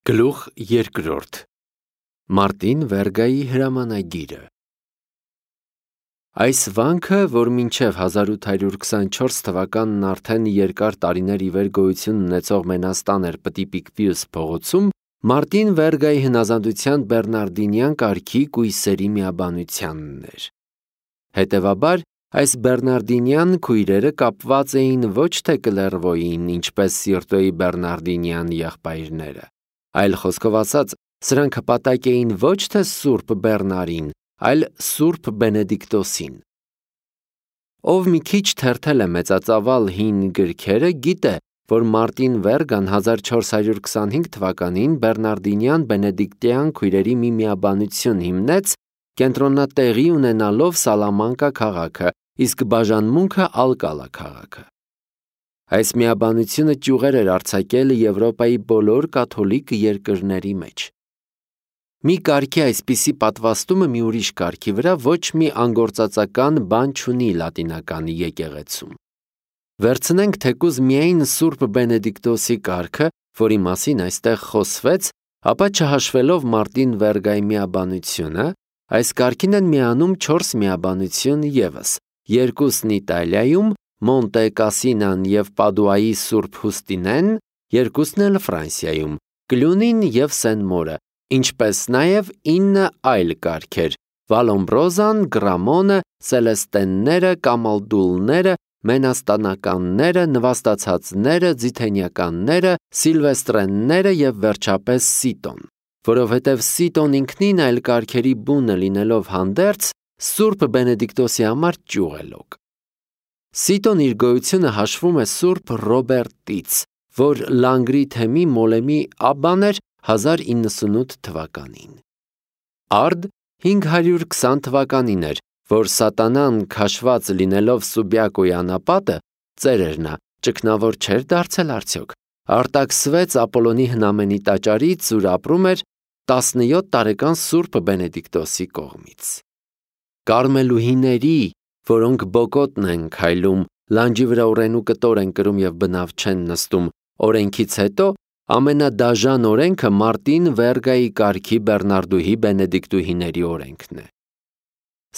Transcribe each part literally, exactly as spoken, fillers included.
Գլուխ երկրորդ Մարտին Վերգայի հրամանագիրը Այս վանքը, որ մինչև հազար ութ հարյուր քսանչորս թվականն արդեն երկար տարիներ ի վեր գոյություն ունեցող մենաստան էր Պտիպիկվիուս փողոցում, Մարտին Վերգայի հնազանդության բեռնարդինյան կարգի կույսերի միաբանությանն էր։ Հետևաբար, այս բեռնարդինյան քույրերը կապված էին ոչ թե Կլերվոյին, ինչպես Սիրտոյի բեռնարդինյան եղբայրները, այլ խոսքով ասած, սրանք հպատակ էին ոչ թե Սուրբ Բեռնարին, այլ Սուրբ Բենեդիկտոսին։ Ով մի քիչ թերթել է մեծածավալ հին գրքերը, գիտե, որ Մարտին Վերգան հազար չորս հարյուր քսանհինգ թվականին բեռնարդինյան բենեդիկտյան քույրերի մի միաբանություն հիմնեց, կենտրոնատեղի ունենալով Սալամանկա քաղաքը, իսկ բաժանմունքը Ալկալա քաղաքը։ Այս միաբանությունը ճյուղեր էր արձակել Եվրոպայի բոլոր կաթոլիկ երկրների մեջ։ Մի կարգի այսպիսի պատվաստումը մի ուրիշ կարգի վրա ոչ մի անգործածական բան չունի լատինական եկեղեցում։ Վերցնենք թեկուզ միայն Սուրբ Բենեդիկտոսի կարգը, որի մասին այստեղ խոսվեց, ապա չհաշվելով Մարտին Վերգայի միաբանությունը, այս կարգին են միանում չորս միաբանություն ևս, երկուսն Իտալիայում, Մոնտե Կասինան և Պադուայի Սուրբ Հուստինեն, երկուսն էլ Ֆրանսիայում, Կլյունին և Սեն-Մորը, ինչպես նաև ինը այլ կարգեր՝ Վալոմբրոզան, Գրամոնը, Սելեստենները, Կամալդուլները, Մենաստանականները, Նվաստացածները, Ձիթենյանները, Սիլվեստրենները և վերջապես Սիտոն, որովհետև Սիտոն ինքնին այլ կարգերի բունը լինելով հանդերձ, Սուրբ Բենեդիկտոսի համար ճյուղ է լոկ։ Սիտոն իր գոյությունը հաշվում է Սուրբ Ռոբերտից, որ Լանգրի թեմի Մոլեմի աբբան էր հազար իննսունութ թվականին։ Արդ հինգ հարյուր քսան թվականին էր, որ Սատանան քաշված լինելով Սուբյակոյի անապատը, ծերեր նա, ճգնավոր չէր դարձել արդյոք, արտաքսվեց Ապոլոնի հնամենի տաճարից, ուր ապրում էր տասնյոթ տարեկան Սուրբ Բենեդիկտոսի կողմից։ Կարմելուհիների, որոնք բոկոտն են քայլում, լանջի վրա ուռենու կտոր են կրում և բնավ չեն նստում, օրենքից հետո ամենադաժան օրենքը Մարտին Վերգայի կարգի բեռնարդուհի բենեդիկտուհիների օրենքն է։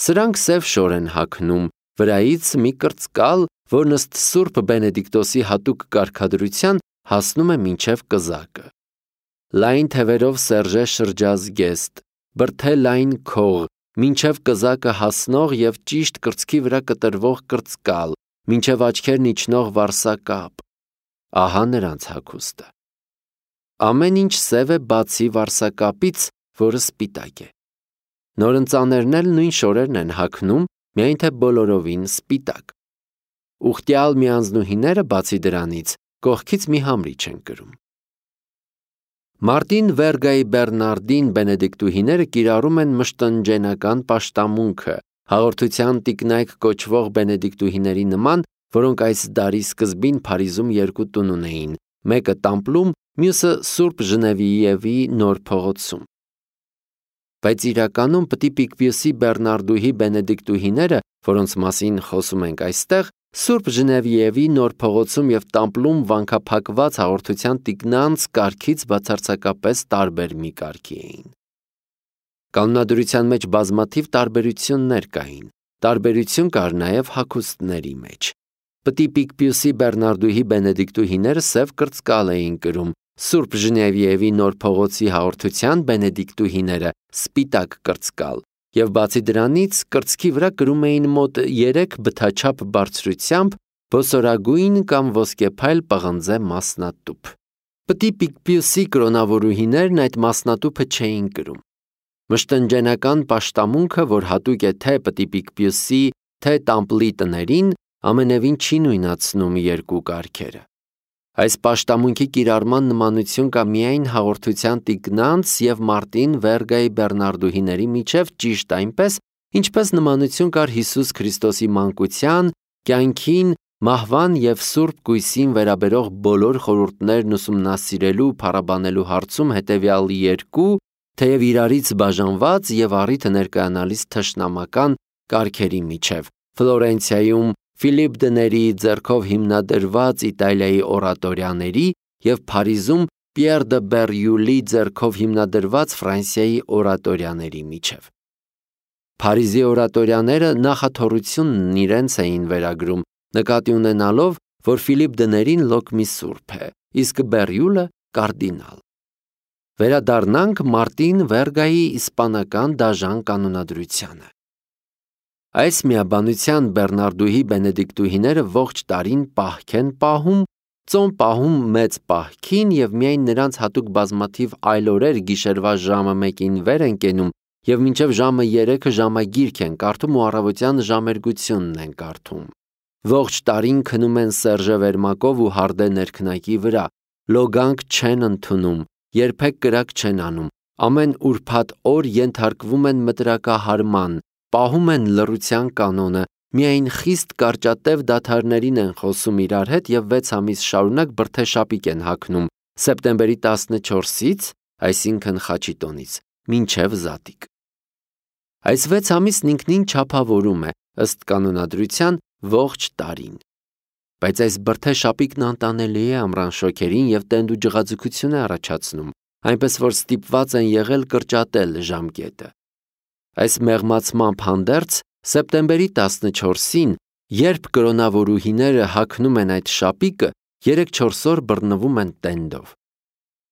Սրանք սև շոր են հագնում, վրայից մի կրծկալ, որն ըստ Սուրբ Բենեդիկտոսի հատուկ կարգադրության հասնում է մինչև կզակը։ Լայն թևերով սերժե շրջազգեստ, բրդե լայն քող, մինչև կզակը հասնող և ճիշտ կրծքի վրա կտրվող կրծկալ, մինչև աչքերն իջնող վարսակապ։ Ահա նրանց հագուստը։ Ամեն ինչ սև է բացի վարսակապից, որը սպիտակ է։ Նորընծաներն էլ նույն շորերն են հագնում, միայն թե բոլորովին սպիտակ։ Ուխտյալ միանձնուհիները բացի դրանից կողքից մի համրիչ են կրում։ Մարտին Վերգայի բեռնարդին բենեդիկտուհիները կիրառում են մշտնջենական պաշտամունքը, հաղորդության տիկնայք կոչվող բենեդիկտուհիների նման, որոնք այս դարի սկզբին Փարիզում երկու տուն ունեին, մեկը Տամպլում, մյուսը Սուրբ Ժնևիևի Նոր փողոցում։ Բայց իրականում Պտիպիկվիուսի բեռնարդուհի բենեդիկտուհիները, որոնց մասին խոսում ենք այստեղ, Սուրբ Ժնևիևի Նոր փողոցում և Տամպլում վանքափակված հաղորդության տիկնանց կարգից բացարձակապես տարբեր մի կարգի էին։ Կանոնադրության մեջ բազմաթիվ տարբերություններ կային, տարբերություն կար նաև հագուստների մեջ։ Պտիպիկվիուսի բեռնարդուհի բենեդիկտուհիները սև կրծկալ էին կրում, Սուրբ Ժնևիևի Նոր փողոցի հաղորդության բենեդիկտուհիները սպիտակ կրծկալ, և բացի դրանից կրծքի վրա կրում էին մոտ երեք բթաչափ բարձրությամբ ոսորագույն կամ ոսկեփայլ պղնձե մասնատուփ։ Պտիպիկվիուսի կրոնավորուհիներն այդ մասնատուփը չէին կրում։ Մշտնջենական պաշտամունքը, որ հատուկ է թե Պտիպիկվիուսի, թե Տամպլի տներին, ամենևին չի նույնացնում երկու կարգերը։ Այս պաշտամունքի կիրառման նմանություն կա միայն հաղորդության տիկնանց և Մարտին Վերգայի բեռնարդուհիների միջև ճիշտ այնպես, ինչպես նմանություն կար Հիսուս Քրիստոսի մանկության, կյանքին, մահվան և Սուրբ Կույսին վերաբերող բոլոր խորհուրդներն ուսումնասիրելու փառաբանելու հարցում հետևյալ երկու, թեև իրարից բաժանված և առիթը ներկայանալիս թշնամական կարգերի միջև՝ Ֆլորենցիայում Ֆիլիպ Դների ձեռքով հիմնադրված Իտալիայի օրատորյաների և Փարիզում Պիեր դը Բերյուլի ձեռքով հիմնադրված Ֆրանսիայի օրատորյաների միջև։ Փարիզի օրատորյաները նախաթոռությունն իրենց էին վերագրում, նկատի ունենալով, որ Ֆիլիպ դներին լոկ մի սուրբ է, իսկ Բերյուլը կարդինալ։ Վերադառնանք Մարտին Վերգայի իսպանական դաժան կանոնադրությանը։ Այս միաբանության բեռնարդուհի բենեդիկտուհիները ողջ տարին պահք են պահում, ծոմ պահում մեծ պահքին և միայն նրանց հատուկ բազմաթիվ այլ օրեր գիշերվա ժամը մեկին վեր են կենում և մինչև ժամը երեքը ժամագիրք են կարդում ու առավոտյան ժամերգությունն են կարդում։ Ողջ տարին քնում են Սերժե Վերմակով ու Հարդե ներքնակի վրա, լոգանք չեն ընդունում, երբեք կրակ չեն անում, ամեն ուրբաթ օր ենթարկվում են մտրակահարման, պահում են լռության կանոնը, միայն խիստ կարճատև դադարներին են խոսում իրար հետ և վեց ամիս շարունակ բրդեշապիկ են հագնում, սեպտեմբերի տասնչորսից, այսինքն Խաչիտոնից, մինչև Զատիկ։ Այս վեց ամիսն ինքնին չափավորում է, ըստ կանոնադրության, ողջ տարին։ Բայց այս բրդեշապիկն անտանելի է ամռան շոգերին և տենդ ու ջղաձգություն է առաջացնում, այնպես որ ստիպված են եղել կրճատել ժամկետը։ Այս մեղմացմամբ հանդերձ, սեպտեմբերի տասնչորսին, երբ կրոնավորուհիները հագնում են այդ շապիկը, երեք-չորս օր բռնվում են տենդով։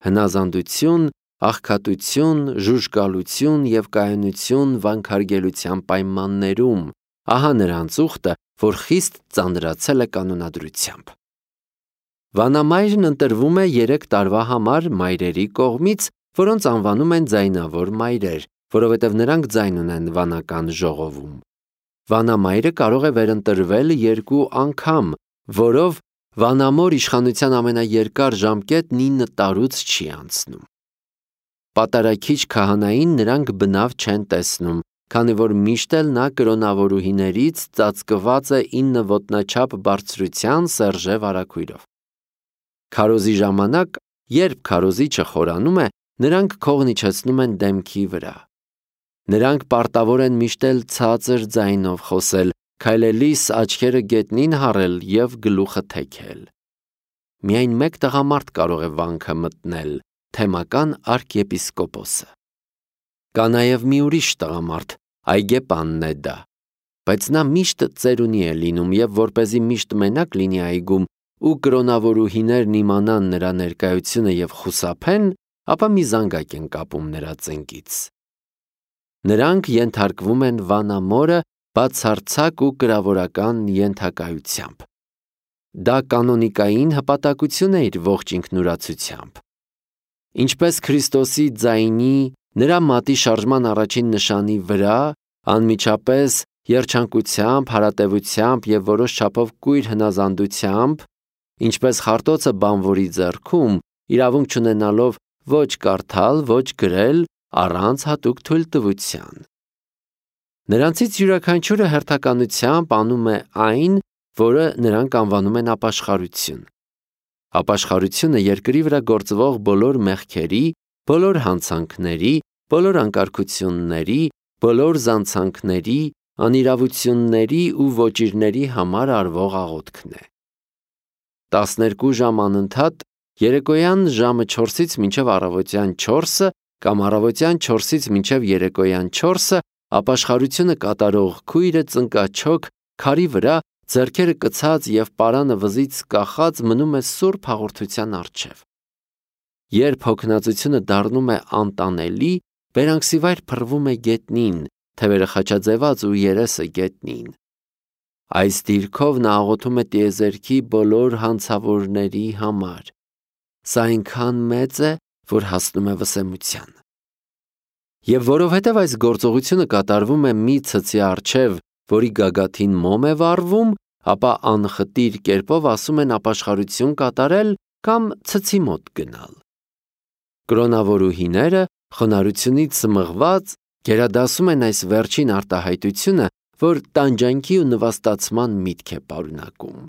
Հնազանդություն, աղքատություն, ժուժկալություն և կայունություն վանքարգելության պայմաններում, ահա նրանց ուխտը, որ խիստ ծանրացել է կանոնադրությամբ։ Վանամայրն ընտրվում է երեք տարվա համար մայրերի կողմից, որոնց անվանում են ձայնավոր մայրեր, որովհետև նրանք ձայն ունեն վանական ժողովում։ Վանամայրը կարող է վերընտրվել երկու անգամ, որով վանամոր իշխանության ամենաերկար ժամկետն ինը տարուց չի անցնում։ Պատարագիչ քահանային նրանք բնավ չեն տեսնում, քանի որ միշտ էլ նա կրոնավորուհիներից ծածկված է ինը ոտնաչափ բարձրության Սերժե վարագույրով։ Քարոզի ժամանակ, երբ քարոզիչը խորանում է, նրանք քողն իջեցնում են դեմքի վրա։ Նրանք պարտավոր են միշտ էլ ցածր ձայնով խոսել, քայլելիս աչքերը գետնին հառել և գլուխը թեքել։ Միայն մեկ տղամարդ կարող է վանքը մտնել, թեմական արքեպիսկոպոսը։ Կա նաև մի ուրիշ տղամարդ, այգեպանն է դա, բայց նա միշտ ծերունի է լինում և որպեսզի միշտ մենակ լինի այգում ու կրոնավորուհիներն իմանան նրա ներկայությունը և խուսափեն, ապա մի զանգակ են կապում նրա ծնկից։ Նրանք ենթարկվում են վանամորը բացարձակ ու կրավորական ենթակայությամբ։ Դա կանոնիկային հպատակություն է իր ողջ ինքնուրացությամբ։ Ինչպես Քրիստոսի ձայնի, նրա մատի շարժման առաջին նշանի վրա, անմիջապես երջանկությամբ, հարատևությամբ և որոշ չափով կույր հնազանդությամբ, ինչպես խարտոցը բանվորի ձեռքում, իրավունք չունենալով ոչ կարդալ, ոչ գրել, առանց հատուկ թույլտվության։ Նրանցից յուրաքանչյուրը հերթականությամբ անում է այն, որը նրանք անվանում են ապաշխարություն։ Ապաշխարությունը երկրի վրա գործվող բոլոր մեղքերի, բոլոր հանցանքների, բոլոր անկարգությունների, բոլոր զանցանքների, անիրավությունների ու ոճիրների համար արվող աղոթքն է։ Տասներկու ժամ անընդհատ, երեկոյան ժամը չորսից մինչև առավոտյան չորսը կամ առավոտյան չորսից մինչև երեկոյան չորսը ապաշխարությունը կատարող քույրը ծնկաչոք քարի վրա, ձեռքերը կցած և պարանը վզից կախած մնում է սուրբ հաղորդության առջև։ Երբ հոգնածությունը դառնում է անտանելի, բերանքսիվայր փռվում է գետնին, թևերը խաչաձևած ու երեսը գետնին։ Այս դիրքով նա աղոթում է տիեզերքի բոլոր հանցավորների համար։ Սա այնքան մեծ է, որ հասնում է վսեմության։ Եվ որովհետև այս գործողությունը կատարվում է մի ցցի առջև, որի գագաթին մոմ է վառվում, ապա անխտիր կերպով ասում են ապաշխարություն կատարել կամ ցցի մոտ գնալ։ Կրոնավորուհիները խոնարհությունից սմղված գերադասում են այս վերջին արտահայտությունը, որ տանջանքի ու նվաստացման միտք է պարունակում։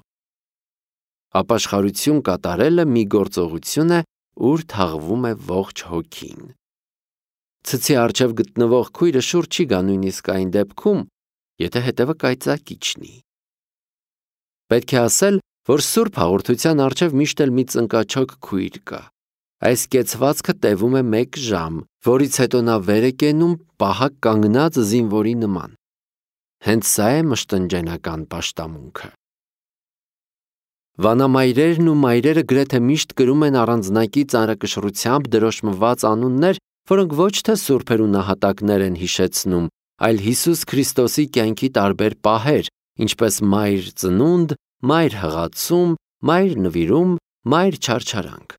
Ապաշխարություն կատարելը մի գործողություն է, ուր թաղվում է ողջ հոգին։ Ցցի առջև գտնվող քույրը շուռ չի գա նույնիսկ այն դեպքում, եթե հետևը կայծակի չնի։ Պետք է ասել, որ սուրբ հաղորդության առջև միշտ էլ մի ծնկաչոք քույր կա։ Այս կեցվածքը տևում է մեկ ժամ, որից հետո նա վեր է կենում պահակ կանգնած զինվորի նման։ Հենց սա է մշտնջենական պաշտամունքը։ Վանամայրերն ու մայրերը գրեթե միշտ կրում են առանձնակի ծանրակշռությամբ դրոշմված անուններ, որոնք ոչ թե սուրբեր ու նահատակներ են հիշեցնում, այլ Հիսուս Քրիստոսի կյանքի տարբեր պահեր, ինչպես մայր ծնունդ, մայր հղացում, մայր նվիրում, մայր չարչարանք։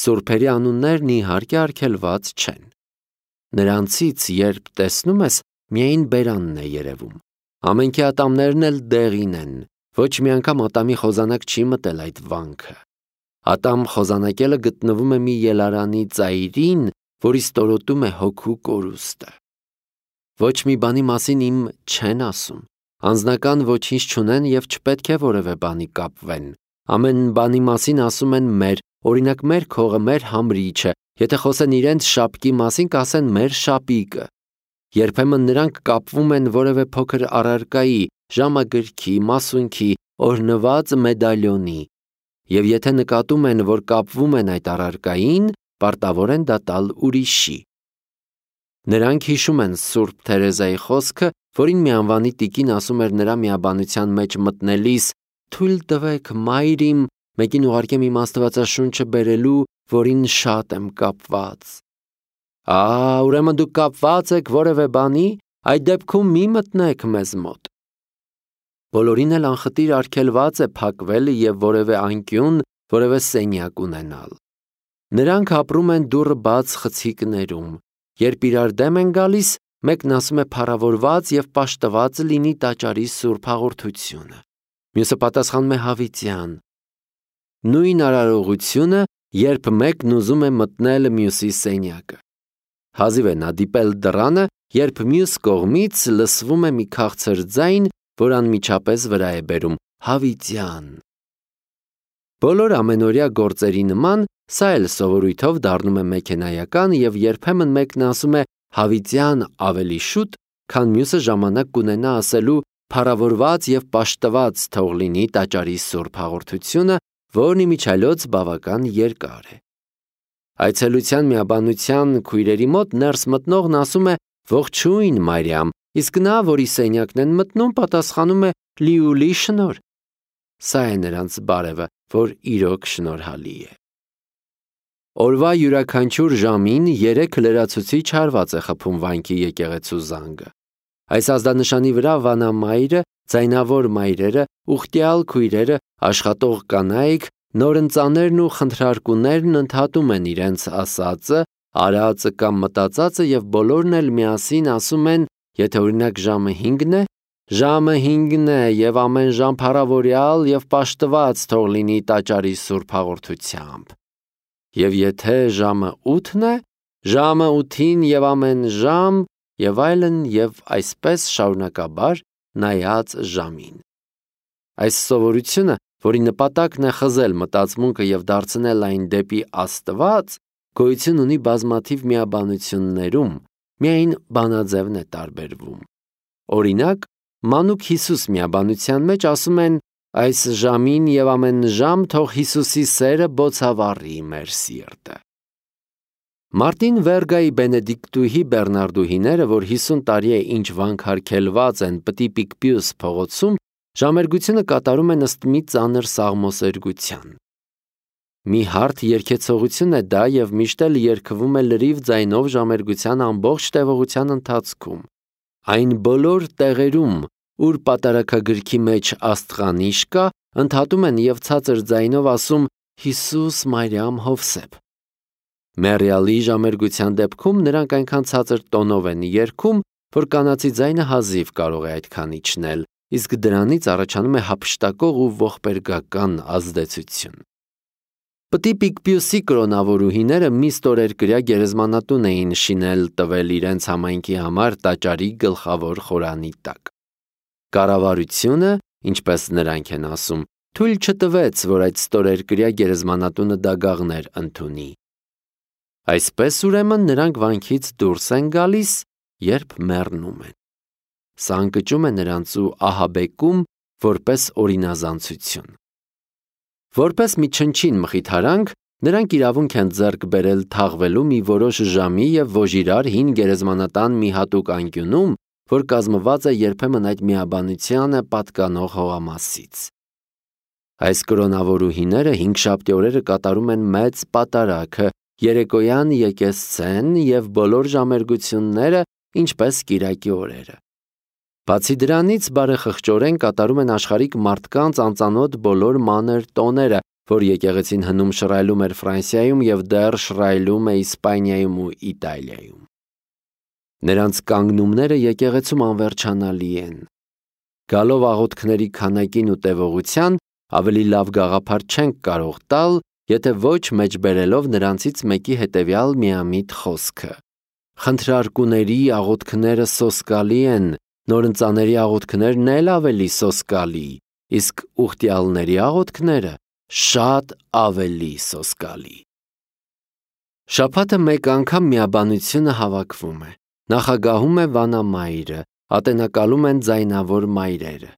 Սուրբերի անուններն իհարկե արգելված չեն։ Նրանցից, երբ տեսնում ես, միայն բերանն է երևում։ Ամենքի ատամներն էլ դեղին են, ոչ մի անգամ ատամի խոզանակ չի մտել այդ վանքը։ Ատամ խոզանակելը գտնվում է մի ելարանի ծայրին, որի ստորոտում է հոգու կորուստը։ Ոչ մի բանի մասին իմ չեն ասում, անձնական ոչինչ չունեն և չպետք է որևէ բանի կապվեն։ Ամեն բանի մասին ասում են մեր, օրինակ մեր քողը, մեր համրիչը, եթե խոսեն իրենց շապկի մասին, կասեն մեր շապիկը։ Երբեմն նրանք կապվում են որևէ փոքր առարկայի, ժամագրքի, մասունքի, օրհնված մեդալյոնի, և եթե նկատում են, որ կապվում են այդ առարկային, պարտավոր են դա տալ ուրիշի։ Նրանք հիշում են Սուրբ Թերեզայի խոսքը, որին մի անվանի տիկին ասում էր նրա միաբանության մեջ մտնելիս. «Թույլ տվեք, մայր իմ, մեկին ուղարկեմ իմ աստվածաշունչը բերելու, որին շատ եմ կապված»։ Ա, ուրեմն դուք կապված եք որևէ բանի, այդ դեպքում մի մտնեք մեզ մոտ։ Բոլորին էլ անխտիր արգելված է փակվել և որևէ անկյուն, որևէ սենյակ ունենալ։ Նրանք ապրում են դուռը բաց խցիկներում։ Երբ իրար դեմ են գալիս, մեկն ասում է փառավորված և պաշտված լինի տաճարի սուրբ հաղորդությունը, մյուսը պատասխանում է հավիտյան։ Նույն արարողությունը, երբ մեկն ուզում է մտնել մյուսի սենյակը։ Հազիվ է նա դիպել դռանը, երբ մյուս կողմից լսվում է մի քաղցր ձայն, որ անմիջապես վրա է բերում. հավիտյան։ Բոլոր ամենօրյա գործերի նման, սա էլ սովորույթով դառնում է մեքենայական և երբեմն մեկն ասում է հավիտյան ավելի շուտ, քան մյուսը ժամանակ կունենա ասելու փառավորված և պաշտված թող լինի տաճարի սուրբ հաղորդությունը, որն իմիջիայլոց բավական երկար է։ Այցելության միաբանության քույրերի մոտ ներս մտնողն ասում է ողջույն Մարիամ, իսկ նա, որի սենյակն են մտնում, պատասխանում է լիուլի շնորհ։ Սա է նրանց բարևը, որ իրոք շնորհալի է։ Օրվա յուրաքանչյուր ժամին երեք լրացուցիչ հարված է խփում վանքի եկեղեցու զանգը։ Այս ազդանշանի վրա վանամայրը, ձայնավոր մայրերը, ուխտյալ քույրերը, աշխատող կանայք, նորընծաներն ու խնդրարկուներն ընդհատում են իրենց ասածը, արածը կամ մտածածը և բոլորն էլ միասին ասում են, եթե օրինակ ժամը հինգն է, ժամը հինգն է և ամեն ժամ փառավորյալ և պաշտված թող լինի տաճարի սուրբ հաղորդությամբ։ Եվ եթե ժամը ութն է, ժամը ութին և ամեն ժամ, և այլն, և այսպես շարունակաբար նայած ժամին։ Այս սովորությունը, որի նպատակն է խզել մտածմունքը և դարձնել այն դեպի Աստված, գոյություն ունի բազմաթիվ միաբանություններում, միայն բանաձևն է տարբերվում։ Օրինակ, մանուկ Հիսուս միաբանության մեջ ասում են այս ժամին և ամեն ժամ թող Հիսուսի սերը բոցավառի մեր սիրտը։ Մարտին Վերգայի բենեդիկտուհի բեռնարդուհիները, որ հիսուն տարի է ինչ վանքարգելված են Պտի Պիկպիուս փողոցում, ժամերգությունը կատարում են ըստ մի ծանր սաղմոսերգության։ Մի հարթ երգեցողություն է դա և միշտ էլ երգվում է լրիվ ձայնով ժամերգության ամբողջ տևողության ընթացքում։ Այն բոլոր տեղերում, ուր պատարագագրքի մեջ աստղանիշ կա, ընդհատում են և ցածր ձայնով ասում Հիսուս, Մարիամ, Հովսեփ։ Մեռյալի ժամերգության դեպքում նրանք այնքան ցածր տոնով են երգում, որ կանացի ձայնը հազիվ կարող է այդքան իջնել, իսկ դրանից առաջանում է հափշտակող ու ողբերգական ազդեցություն։ Պտի Պիկպիուսի կրոնավորուհիները մի ստորերկրյա գերեզմանատուն էին շինել տվել իրենց համայնքի համար տաճարի գլխավոր խորանի տակ։ Կառավարությունը, ինչպես նրանք են ասում, թույլ չտվեց, որ այդ ստորերկրյա գերեզմանատունը դագաղներ ընդունի։ Այսպես ուրեմն նրանք վանքից դուրս են գալիս, երբ մեռնում են։ Սա ընկճում է նրանց ու ահաբեկում որպես օրինազանցություն։ Որպես մի չնչին մխիթարանք, Նրանք իրավունք են ձեռք բերել թաղվելու մի որոշ ժամի և ոժիրար հին գերեզմանատան մի հատուկ անկյունում, որ կազմված է երբեմն այդ միաբանությանը պատկանող հողամասից։ Այս կրոնավորուհիները հինգշաբթի օրերը կատարում են մեծ պատարագը, երեկոյան եկեսցեն և բոլոր ժամերգությունները, ինչպես կիրակի օրերը։ Բացի դրանից, բարեխղճորեն կատարում են աշխարհիկ մարդկանց անծանոթ բոլոր մանր տոները, որ եկեղեցին հնում շռայլում էր Ֆրանսիայում և դեռ շռայլում է Իսպանիայում ու Իտալիայում։ Նրանց կանգնումները եկեղեցում անվերջանալի են։ Գալով աղոթքների քանակին ու տևողության, ավելի լավ գաղափար չենք կարող տալ, եթե ոչ մեջբերելով նրանցից մեկի հետևյալ միամիտ խոսքը. խնդրարկուների աղոթքները սոսկալի են, նորընծաների աղոթքներն էլ ավելի սոսկալի, իսկ ուխտյալների աղոթքները շատ ավելի սոսկալի։ Շաբաթը մեկ անգամ միաբանությունը հավաքվում է, նախագահում է վանամայրը, ատենակալում են ձայնավոր մայրերը։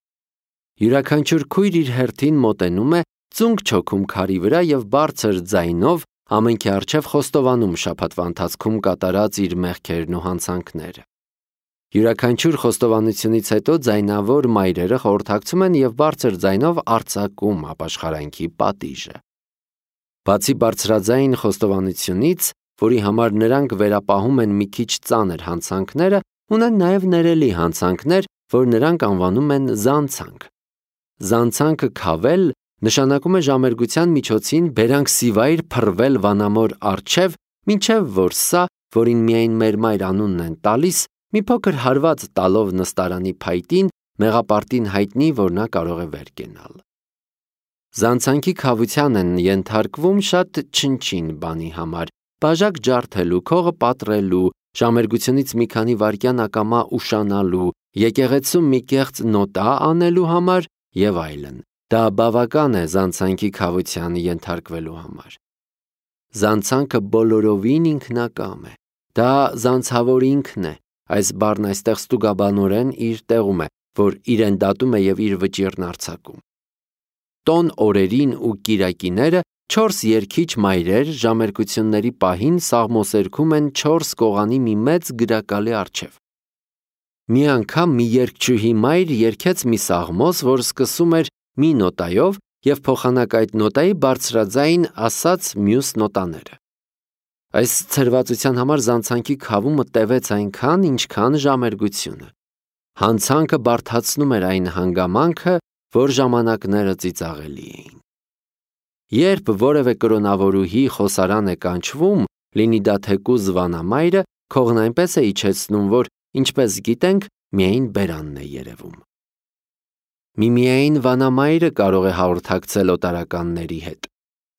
Յուրաքանչյուր քույր իր հերթին մոտենում է, ծունկ չոքում քարի վրա և բարձր ձայնով ամենքի առջև խոստովանում շաբաթվա ընթացքում կատարած իր մեղքերն ու հանցանքները։ Յուրաքանչյուր խոստովանությունից հետո ձայնավոր մայրերը խորհրդակցում են և բարձր ձայնով արձակում ապաշխարանքի պատիժը։ Բացի բարձրաձայն խոստովանությունից, որի համար նրանք վերապահում են մի քիչ ծանր հանցանքները, ունեն նաև ներելի հանցանքներ, որ նրանք անվանում են զանցանք։ Զանցանքը քավել նշանակում է ժամերգության միջոցին բերանքսիվայր փռվել վանամոր առջև, մինչև որ սա, որին միայն մեր մայր անունն են տալիս, մի փոքր հարված տալով նստարանի փայտին, մեղապարտին հայտնի, որ նա կարող է վեր կենալ։ Զանցանքի քավության են ենթարկվում շատ չնչին բանի համար՝ բաժակ ջարդելու, քողը պատռելու, ժամերգությունից մի քանի վայրկյան ակամա ուշանալու, եկեղեցում մի կեղծ նոտա անելու համար և այլն։ Դա բավական է զանցանքի քավության ենթարկվելու համար։ Զանցանքը բոլորովին ինքնակամ է։ Դա զանցավոր ինքն է։ Այս բառն այստեղ ստուգաբանորեն իր տեղում է, որ իրեն դատում է և իր վճիռն արձակում։ Տոն օրերին ու կիրակիները չորս երգիչ մայրեր ժամերգությունների պահին սաղմոսերգում են չորս կողանի մի մեծ գրակալի առջև։ Մի անգամ մի երգչուհի մայր երգեց մի սաղմոս, որ սկսում էր մի նոտայով և փոխանակ այդ նոտայի բարձրաձայն ասաց մյուս նոտաները։ Այս ցրվածության համար զանցանքի քավումը տևեց այնքան, ինչքան ժամերգությունը։ Հանցանքը բարդացնում էր այն հանգամանքը, որ ժամանակները ծիծաղելի էին։ Երբ որևէ կրոնավորուհի խոսարան է կանչվում, լինի դա թեկուզ վանամայրը, քողն այնպես է իջեցնում, որ, ինչպես գիտենք, միայն բերանն է երևում։ Միմիայն վանամայրը կարող է հաղորդակցել օտարականների հետ։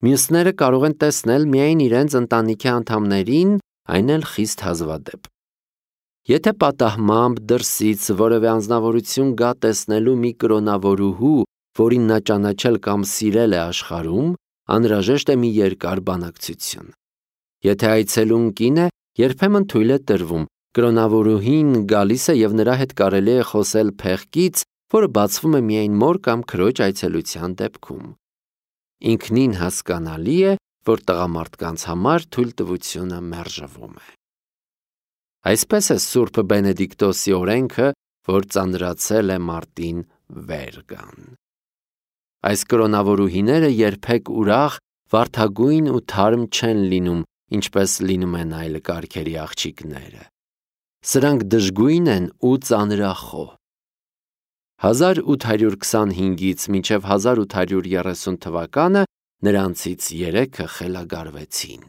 Մյուսները կարող են տեսնել միայն իրենց ընտանիքի անդամներին, այն էլ խիստ հազվադեպ։ Եթե պատահմամբ դրսից որևէ անձնավորություն գա տեսնելու մի կրոնավորուհու, որին նա ճանաչել կամ սիրել է աշխարհում, անհրաժեշտ է մի երկար բանակցություն։ Եթե այցելուն կին է, երբեմն թույլ է տրվում, կրոնավորուհին գալիս է և նրա հետ կարելի է խոսել փեղկից, որը բացվում է միայն մոր կամ քրոջ այցելության դեպքում։ Ինքնին հասկանալի է, որ տղամարդկանց համար թույլտվությունը մերժվում է։ Այսպես է Սուրբ Բենեդիկտոսի օրենքը, որ ծանրացել է մարտին վեր գան։ Այս կրոնավորուհիները երբեք ուրախ, վարդագույն ու թարմ չեն լինում, ինչպես լինում են այլ կարգերի աղջիկները։ Սրանք դժգույն են ու ծանրախոհ։ հազար ութ հարյուր քսանհինգից մինչև հազար ութ հարյուր երեսուն թվականը նրանցից երեքը խելագարվեցին։